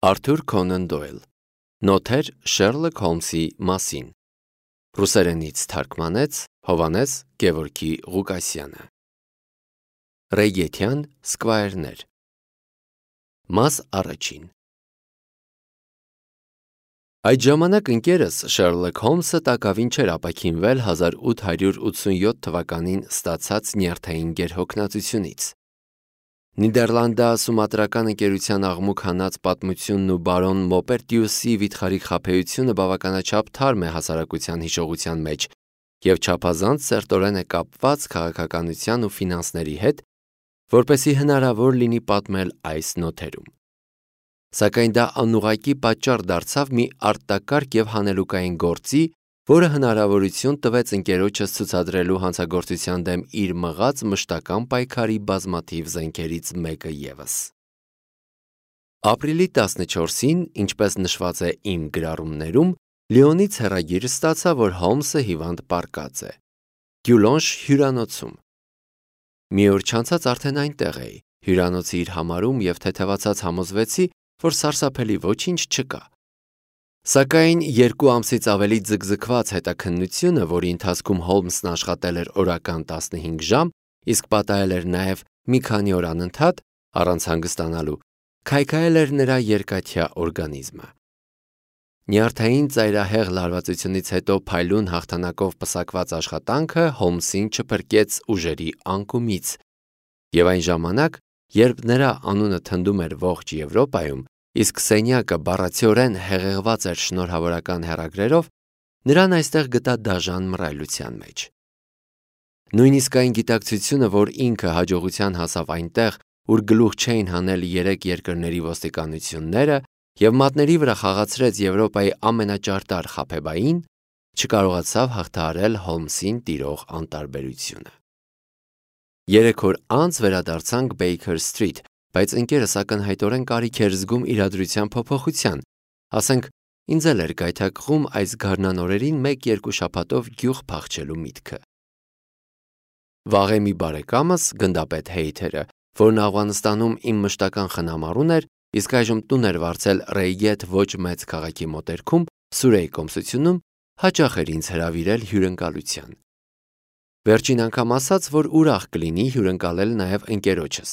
Արթուր Քոնան Դոյլ Նոթեր Շերլոք Հոլմսի մասին Ռուսերենից թարգմանեց Հովհաննես Գևորգի Ղուկասյանը Ռեյգեթյան սկվայրներ Մաս առաջին Այդ ժամանակ ընկերս Շերլոք Հոլմսը տակավին չէր ապաքինվել 1887 թվականին ստացած նյարդային գերհոգնածությունից Նիդերլանդա-սումատրական ընկերության աղմուկ հանած պատմությունն ու բարոն Մոպերտիուսի վիթխարի խաբեությունը բավականաչափ թարմ է հասարակության հիշողության մեջ և չափազանց սերտորեն է կապված քաղաքականության ու ֆինանսների հետ, որպեսզի հնարավոր լինի պատմել այս նոթերում։ Սակայն դա անուղղակի պատճառ դարձավ մի արտակարգ և հանելուկային գործի, որը հնարավորություն տվեց ընկերոջս ցուցադրելու հանցագործության դեմ իր մղած մշտական պայքարի բազմաթիվ զենքերից մեկը ևս։ Ապրիլի 14-ին, ինչպես նշված է իմ գրառումներում, Լիոնից հեռագիր ստացա, որ Հոլմսը հիվանդ պառկած է։ Գյուլոնշ հյուրանոցում։ Մի օր չանցած արդեն այնտեղ էի, հյուրանոցը իր համարում և թեթևացած համոզվեցի, որ սարսափելի ոչինչ չկա։ Սակայն 2 ամսից ավելի ձգձգված հետաքննությունը, որի ընթացքում Հոլմսն աշխատել էր օրական 15 ժամ, իսկ պատահել էր նաև մի քանի օր անընդհատ, առանց հանգստանալու, քայքայել էր նրա երկաթյա օրգանիզմը։ Նյարդային ծայրահեղ լարվածությունից հետո փայլուն հաղթանակով պսակված աշխատանքը Հոլմսին չփրկեց ուժերի անկումից, և այն ժամանակ, երբ նրա անունը թնդում էր ողջ Եվրոպայում, իսկ սենյակը բառացիորեն հեղեղված էր շնորհավորական հեռագրերով, նրան այստեղ գտա դաժան մռայլության մեջ։ Նույնիսկ այն գիտակցությունը, որ ինքը հաջողության հասավ այնտեղ, ուր գլուխ չէին հանել 3 երկրների ոստիկանությունները և մատների վրա խաղացրեց Եվրոպայի ամենաճարտար խաբեբային, չկարողացավ հաղթահարել Հոլմսին տիրող անտարբերությունը։ 3 օր անց վերադարձանք Բեյքեր Սթրիթ, բայց ընկերս ակնհայտորեն կարիք էր զգում իրադրության փոփոխության, ասենք ինձ էլ էր գայթակղում այս գարնան օրերին 1-2 շաբաթով գյուղ փախչելու միտքը։ Վաղեմի բարեկամս, գնդապետ Հեյթերը, որն Աֆղանստանում իմ մշտական խնամառուն էր, իսկ այժմ տուն էր վարձել Ռեյգեթ ոչ մեծ քաղաքի մոտերքում, Սուրեի կոմսությունում, հաճախ էր ինձ հրավիրել հյուրընկալության։ Վերջին անգամ ասաց, որ ուրախ կլինի հյուրընկալել նաև ընկերոջս։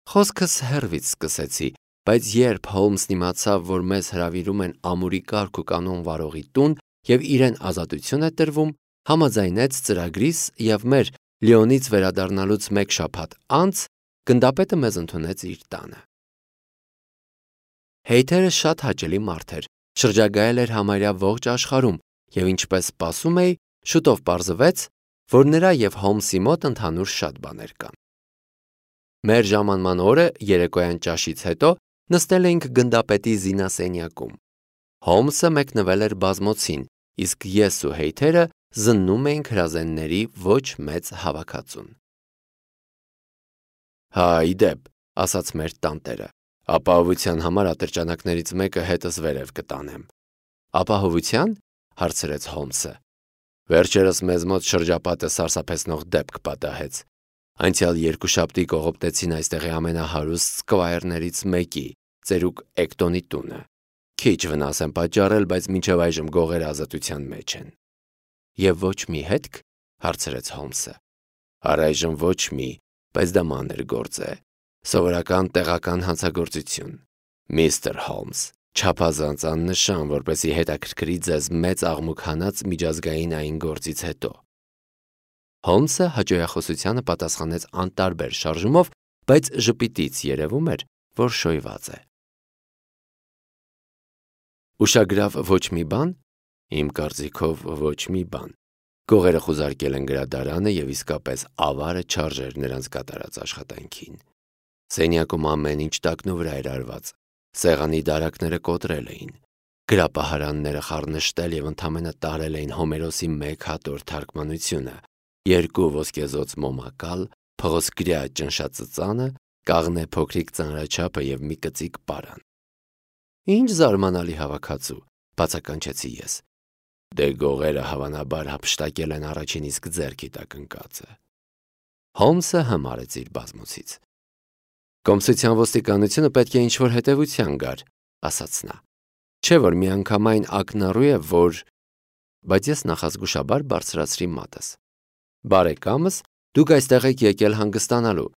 Խոսքս հեռվից սկսեցի, բայց երբ Հոլմսն իմացավ, որ մեզ հրավիրում են ամուրի կարգ ու կանոն վարողի տուն և իրեն ազատություն է տրվում, համաձայնեց ծրագրիս և մեր Լիոնից վերադառնալուց 1 շաբաթ անց գնդապետը մեզ ընդունեց իր տանը։ Հեյթերը շատ հաճելի մարդ էր, շրջագայել էր համարյա ողջ աշխարհում և ինչպես սպասում էի, շուտով պարզվեց, որ նրա և Հոլմսի մոտ ընդհանուր շատ բաներ կան։ Մեր ժամանման օրը երեկոյան ճաշից հետո նստել էինք գնդապետի զինասենյակում։ Հոլմսը մեկնվել էր բազմոցին, իսկ ես ու Հեյթերը զննում էինք հրազենների ոչ մեծ հավաքածուն։ Հա, ի դեպ, ասաց մեր տանտերը, ապահովության համար ատրճանակներից մեկը հետս վերև կտանեմ։ Ապահովության, հարցրեց Հոլմսը։ Վերջերս մեզ մոտ շրջապատը սարսափեցնող դեպք պատահեց։ Անցյալ 2 շաբթի կողոպտեցին այստեղի ամենահարուստ սկվայրներից մեկի, ծերուկ Էկտոնի տունը։ Քիչ վնաս են պատճառել, բայց մինչև այժմ գողերը ազատության մեջ են։ Եվ ոչ մի հետք, հարցրեց Հոլմսը։ Առայժմ ոչ մի, բայց դա մանր գործ է։ Սովորական տեղական հանցագործություն։ Միստր Հոլմս, չափազանց աննշան, որպեսզի հետաքրքրի ձեզ մեծ աղմուկ հանած միջազգային այն գործից հետո։ Հոլմսը հաճոյախոսությանը պատասխանեց անտարբեր շարժումով, բայց ժպիտից երևում էր, որ շոյված է։ Ուշագրավ ոչ մի բան։ Իմ կարծիքով ոչ մի բան։ Գողերը խուզարկել են գրադարանը և իսկապես ավարը չարժեր նրանց կատարած աշխատանքին։ Սենյակում ամեն ինչ տակնու վրա էր արված։ Սեղանի դարակները կոտրել էին։ Գրապահարանները խառնշտել և ընդամենը տարել էին Հոմերոսի 1 հատոր թարգմանությունը, 2 ոսկեզօծ մոմակալ, փղոսկրյա ճնշածծանը, կաղնե փոքրիկ ծանրաչափը և մի կծիկ պարան։ Ինչ զարմանալի հավաքածու, բացականչեցի ես։ Դե գողերը հավանաբար հափշտակել են առաջին իսկ ձեռքի տակ ընկածը։ Հոլմսը հմարեց իր բազմոցից։ Կոմսության ոստիկանությունը պետք է ինչ-որ հետևության գար, ասաց նա։ Չէ՞ որ միանգամայն ակնառու է, որ… Բայց ես նախազգուշաբար բարձրացրի մատս։ Բարեկամս, դուք այստեղ եք եկել հանգստանալու։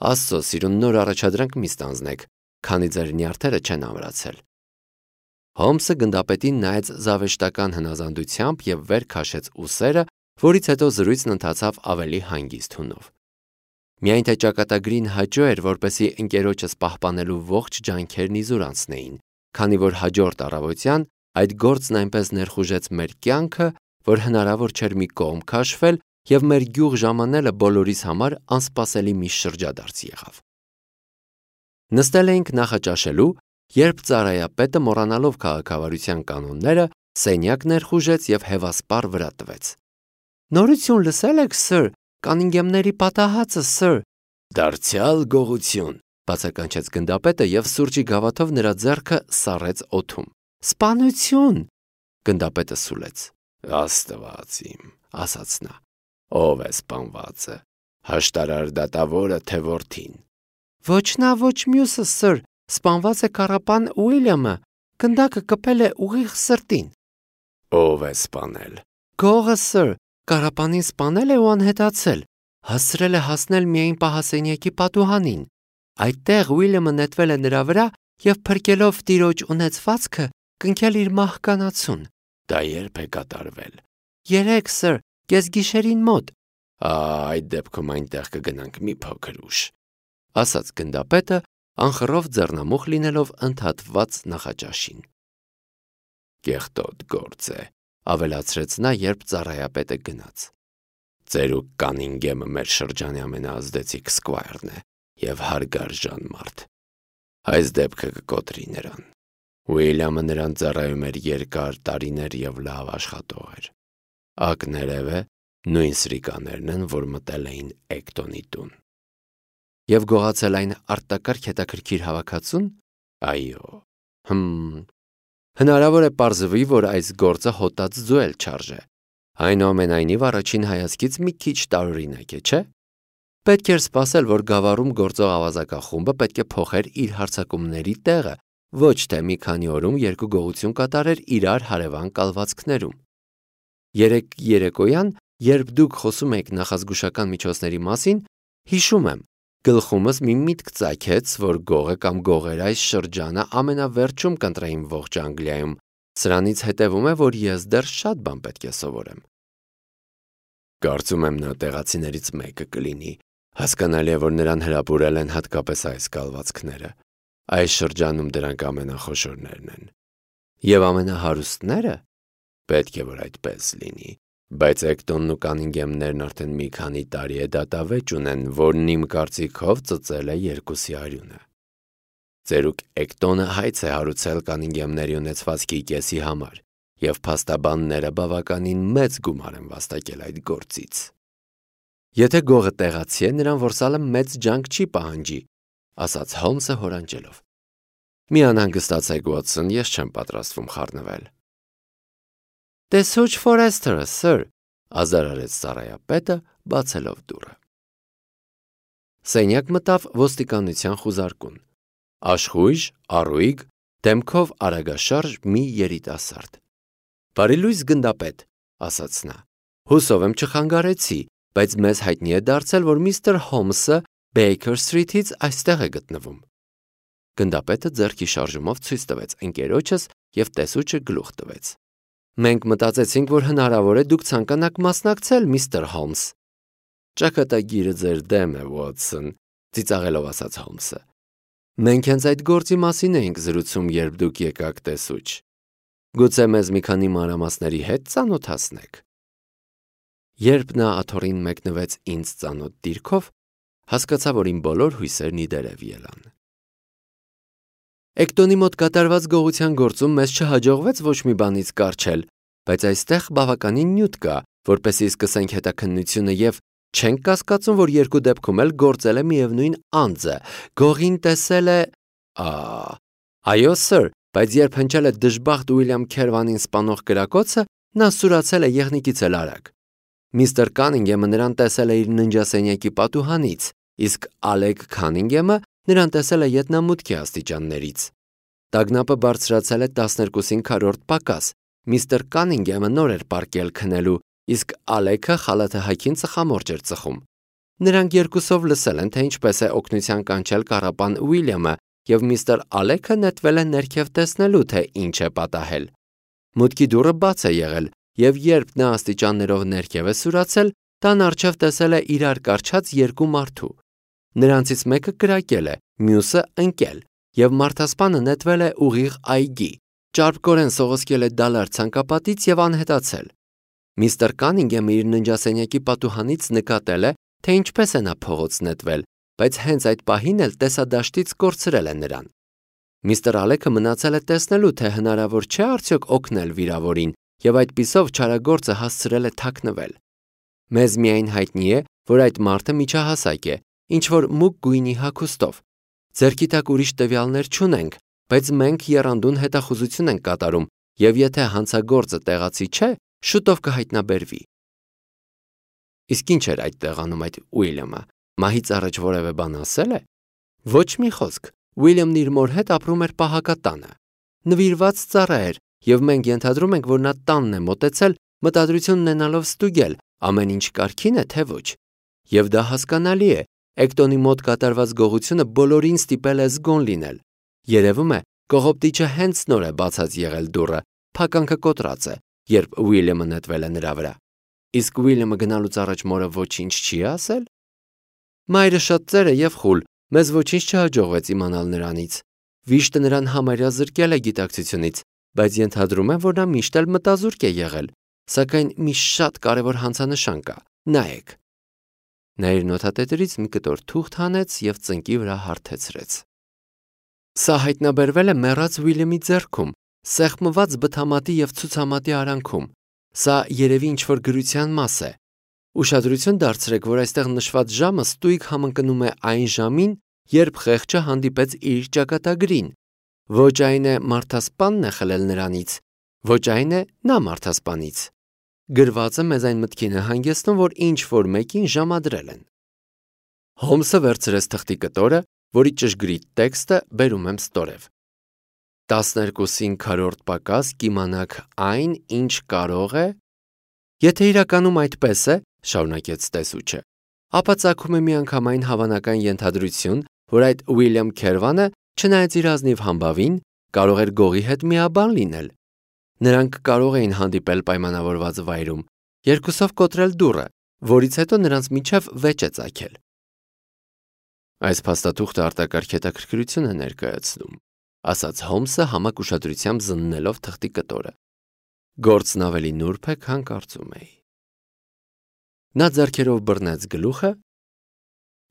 Աստծո սիրուն, նոր առաջադրանք մի ստանձնեք, քանի ձեր նյարդերը չեն ամրացել։ Հոմսը գնդապետին նայեց զավեշտական հնազանդությամբ և վեր քաշեց ուսերը, որից հետո զրույցն ընթացավ ավելի հանգիստ հունով։ Միայն թե ճակատագրին հաճո էր, որպեսզի ընկերոջս պահպանելու ողջ ջանքերն իզուր անցնեին, քանի որ հաջորդ առավոտյան այդ գործն այնպես ներխուժեց մեր կյանքը, որ հնարավոր չէր մի կողմ քաշվել և մեր գյուղ ժամանելը բոլորիս համար անսպասելի մի շրջադարձ եղավ։ Նստել էինք նախաճաշելու, երբ ծառայապետը, մոռանալով քաղաքավարության կանոնները, սենյակ ներխուժեց և հևասպառ վրա տվեց։ Նորություն լսել եք, սըր, Կանինգեմների պատահածը, սըր։ Դարձյալ գողություն, բացականչեց գնդապետը և սուրճի գավաթով նրա ձեռքը սառեց օդում։ Սպանություն, գնդապետը սուլեց։ Աստված իմ, ասաց նա, ով է սպանվածը, հաշտարար դատավորը, թե որդին։ Ոչ նա, ոչ մյուսը, սըր, սպանված է կառապան Ուիլյամը, գնդակը կպել է ուղիղ սրտին։ Ով է սպանել։ Գողը, սըր, կառապանին սպանել է ու անհետացել, հասցրել է հասնել միայն պահասենյակի պատուհանին։ Այդտեղ Ուիլյամը նետվել է նրա վրա և փրկելով տիրոջ ունեցվածքը, կնքել իր մահկանացուն։ Դա երբ է կատարվել։ Երեկ, սըր, կեսգիշերին մոտ։ Այդ դեպքում այնտեղ կգնանք մի փոքր ուշ, ասաց գնդապետը, անխռով ձեռնամուխ լինելով ընդհատված նախաճաշին։ Կեղտոտ գործ է, ավելացրեց նա, երբ ծառայապետը գնաց։ Ծերուկ Կանինգեմը մեր շրջանի ամենաազդեցիկ սկվայրն է և հարգարժան մարդ։ Այս դեպքը կկոտրի նրան։ Ուիլյամը նրան ծառայում էր երկար տարիներ և լավ աշխատող էր։ Ակներև է, նույն սրիկաներն են, որ մտել էին Էկտոնի տուն։ Եվ գողացել այն արտակարգ հետաքրքիր հավաքածուն։ Այո։ Հնարավոր է պարզվի, որ այս գործը հոտած ձու էլ չարժե։ Այնուամենայնիվ առաջին հայացքից մի քիչ տարօրինակ է, չէ՞։ Պետք էր սպասել, որ գավառում գործող ավազակախումբը պետք է փոխեր իր հարձակումների տեղը, ոչ թե մի քանի օրում երկու գողություն կատարեր իրար հարևան կալվածքներում։ Երեկ երեկոյան, երբ դուք խոսում եք նախազգուշական միջոցների մասին, հիշում եմ, գլխումս մի միտք ծագեց, որ գողը կամ գողերը այս շրջանը ամենավերջում կընտրեին ողջ Անգլիայում։ Սրանից հետևում է, որ ես դեռ շատ բան պետք է սովորեմ։ Կարծում եմ նա տեղացիներից մեկը կլինի։ Հասկանալի է, որ նրան հրապուրել են հատկապես այս կալվածքները։ Այս շրջանում դրանք ամենախոշորներն են։ Եվ ամենահարուստները։ Պետք է, որ այդպես լինի։ Բայց Էկտոնն ու Կանինգեմներն արդեն մի քանի տարի է դատավեճ ունեն, որն իմ կարծիքով ծծել է երկուսի արյունը։ Ծերուկ Էկտոնը հայց է հարուցել Կանինգեմների ունեցվածքի կեսի համար, և փաստաբանները բավականին մեծ գումար են վաստակել այդ գործից։ Եթե գողը տեղացի է, նրան որսալը մեծ ջանք չի պահանջի, ասաց Հոլմսը հորանջելով։ Մի անհանգստացեք, Ուոտսոն, ես չեմ պատրաստվում խառնվել։ Տեսուչ Ֆորեսթերը, սըր, ազարարեց ծառայապետը, բացելով դուռը։ Սենյակ մտավ ոստիկանության խուզարկուն։ Աշխույժ, առույգ, դեմքով արագաշարժ մի երիտասարդ։ Բարի լույս, գնդապետ, ասաց նա։ Հուսով եմ չխանգարեցի, բայց մեզ հայտնի է դարձել, որ միստր Հոմսը Բեյքեր Սթրիթից այստեղ է գտնվում։ Գնդապետը ձեռքի շարժումով ցույց տվեց ընկերոջս և տեսուչը գլուխ տվեց։ Մենք մտածեցինք, որ հնարավոր է դուք ցանկանաք մասնակցել, միստր Հոլմս։ Ճակատագիրը ձեր դեմ է, Ուոտսոն, ծիծաղելով ասաց Հոլմսը։ Մենք հենց այդ գործի մասին էինք զրուցում, երբ դուք եկաք, տեսուչ։ Գուցե մեզ մի քանի մանրամասների հետ ծանոթացնեք։ Երբ նա աթոռին մեկնվեց ինձ ծանոթ դիրքով, հասկացա, որ իմ բոլոր հույսերն ի դերև ելան։ Էկտոնի մոտ կատարված գողության գործում մեզ չհաջողվեց ոչ մի բանից կառչել, բայց այստեղ բավականին նյութ կա, որպեսզի սկսենք հետաքննությունը և չենք կասկածում, որ երկու դեպքում էլ գործել է միևնույն անձը, գողին տեսել է… Այո, սըր, բայց երբ հնչել է դժբախտ Ուիլյամ Քերվանին սպանող կրակոցը, նա սուրացել է եղնիկից էլ արագ։ Միստր Կանինգեմը նրան տեսել է իր ննջասենյակի պատուհանից, իսկ Ալեկ Քանինգեմը նրան տեսել է ետնամուտքի աստիճաններից։ Տագնապը բարձրացել է 12-ին քառորդ պակաս։ Միստր Կանինգեմը նոր էր պառկել քնելու, իսկ Ալեքը խալաթը հագին ծխամորճ էր ծխում։ Նրանք երկուսով լսել են, թե ինչպես է օգնության կանչել կառապան Ուիլյամը, եւ միստր Ալեքը նետվել է ներքև տեսնելու, թե ինչ է պատահել։ Մուտքի դուռը բաց է եղել, եւ երբ նա աստիճաններով ներքև է սուրացել, տան առջև տեսել է իրար կառչած երկու մարդու։ Նրանցից մեկը կրակել է, մյուսը ընկել, եւ մարդասպանը նետվել է ուղիղ այգի, ճարպկորեն սողոսկել է դալար ցանկապատից եւ անհետացել։ Միստր Կանինգեմը իր ննջասենյակի պատուհանից նկատել է, թե ինչպես է նա փողոց նետվել, բայց հենց այդ պահին էլ տեսադաշտից կորցրել է նրան։ Միստր Ալեքը մնացել է տեսնելու, թե հնարավոր չէ արդյոք օգնել վիրավորին, եւ այդպիսով չարագործը հասցրել է թաքնվել։ Մեզ միայն հայտնի է, որ այդ մարդը միջահասակ է, ինչ որ մուգ գույնի հագուստով։ Ձեռքի տակ ուրիշ տվյալներ չունենք, բայց մենք եռանդուն հետախուզություն ենք կատարում, եւ եթե հանցագործը տեղացի չէ, շուտով կհայտնաբերվի։ Իսկ ինչ էր այդ տեղանում այդ Ուիլյամը։ Մահից առաջ որևէ բան ասել է։ Ոչ մի խոսք։ Ուիլյամն իր մոր հետ ապրում էր պահակատանը։ Նվիրված ծառա էր, եւ մենք ենթադրում ենք, որ նա տանն է մոտեցել, մտադրություն ունենալով ստուգել, ամեն ինչ կարգին է, թե ոչ։ Եվ դա հասկանալի է։ Էկտոնի մոտ կատարված գողությունը բոլորին ստիպել է զգոն լինել։ Երևում է, կողոպտիչը հենց նոր է բացած եղել դուռը, փականքը կոտրած է, երբ Ուիլյամը նետվել է նրա վրա։ Իսկ Ուիլյամը գնալուց առաջ մորը ոչինչ չի ասել։ Մայրը շատ ծեր է եւ խուլ, մեզ ոչինչ չհաջողվեց իմանալ նրանից։ Վիշտը նրան համարյա զրկել է գիտակցությունից, բայց ենթադրում եմ, որ նա միշտ էլ մտազուրկ է եղել, սակայն մի շատ կարևոր հանցանշան կա։ Նայեք։ Նա իր նոթատետրից մի կտոր թուղթ հանեց եւ ծնկի վրա հարթեցրեց։ Սա հայտնաբերվել է մեռած Ուիլյամի ձեռքում, սեղմված բթամատի եւ ցուցամատի արանքում։ Սա երևի ինչ-որ գրության մաս է։ Ուշադրություն դարձրեք, որ այստեղ նշված ժամը ստույգ համընկնում է այն ժամին, երբ խեղճը հանդիպեց իր ճակատագրին։ Ոչ այն է մարդասպանն է խլել նրանից, ոչ այն է նա մարդասպանից։ Գրվածը մեզ այն մտքին է հանգեցնում, որ ինչ-որ մեկին ժամադրել են։ Հոմսը վերցրեց թղթի կտորը, որի ճշգրիտ տեքստը բերում եմ ստորև։ 12-ին քառորդ պակաս կիմանաք այն, ինչ կարող է։ Եթե իրականում այդպես է, շարունակեց տեսուչը, ապա ծագում է միանգամայն հավանական ենթադրություն, որ այդ Ուիլյամ Քերվանը, չնայած իր ազնիվ համբավին, կարող էր գողի հետ միաբան լինել։ Նրանք կարող էին հանդիպել պայմանավորված վայրում, երկուսով կոտրել դուռը, որից հետո նրանց միջև վեճ է ծագել։ Այս փաստաթուղթը արտակարգ հետաքրքրություն է ներկայացնում, ասաց Հոմսը համակ ուշադրությամբ զննելով թղթի կտորը։ Գործն ավելի նուրբ է, քան կարծում էի։ Նա ձեռքերով բռնեց գլուխը,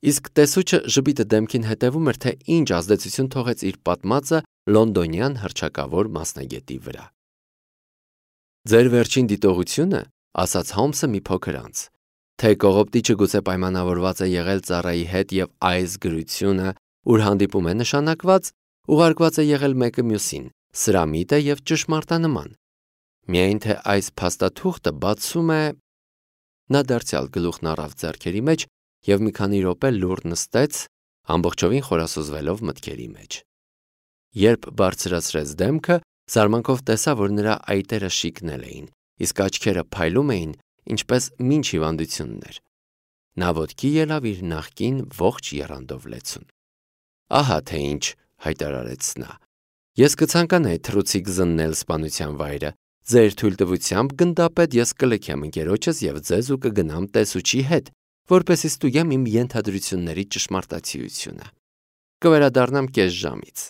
իսկ տեսուչը ժպիտը դեմքին հետևում էր, թե ինչ ազդեցություն թողեց իր պատմածը լոնդոնյան հռչակավոր մասնագետի վրա։ Ձեր վերջին դիտողությունը, ասաց Հոմսը մի փոքր անց, թե կողոպտիչը գուցե պայմանավորված է եղել ծառայի հետ եւ այս գրությունը, ուր հանդիպում է նշանակված, ուղարկված է եղել մեկը մյուսին, սրամիտ է եւ ճշմարտանման։ Միայն թե այս փաստաթուղթը բացում է։ Նա դարձյալ գլուխն առավ ձեռքերի մեջ եւ մի քանի րոպե լուռ նստեց, ամբողջովին խորասուզվելով մտքերի մեջ։ Երբ բարձրացրեց դեմքը, զարմանքով տեսա, որ նրա այտերը շիկնել էին, իսկ աչքերը փայլում էին, ինչպես մինչ հիվանդություններ։ Նա ոտքի ելավ իր նախկին ողջ եռանդով լեցուն։ Ահա թե ինչ, հայտարարեց նա։ Ես կցանկանայի թռուցիկ զննել սպանության վայրը։ Ձեր թույլտվությամբ գնդապետ ես կլքեմ ընկերոջս եւ ձեզ ու կգնամ տեսուչի հետ, որպեսզի ստուգեմ իմ ենթադրությունների ճշմարտացիությունը։ Կվերադառնամ կես ժամից։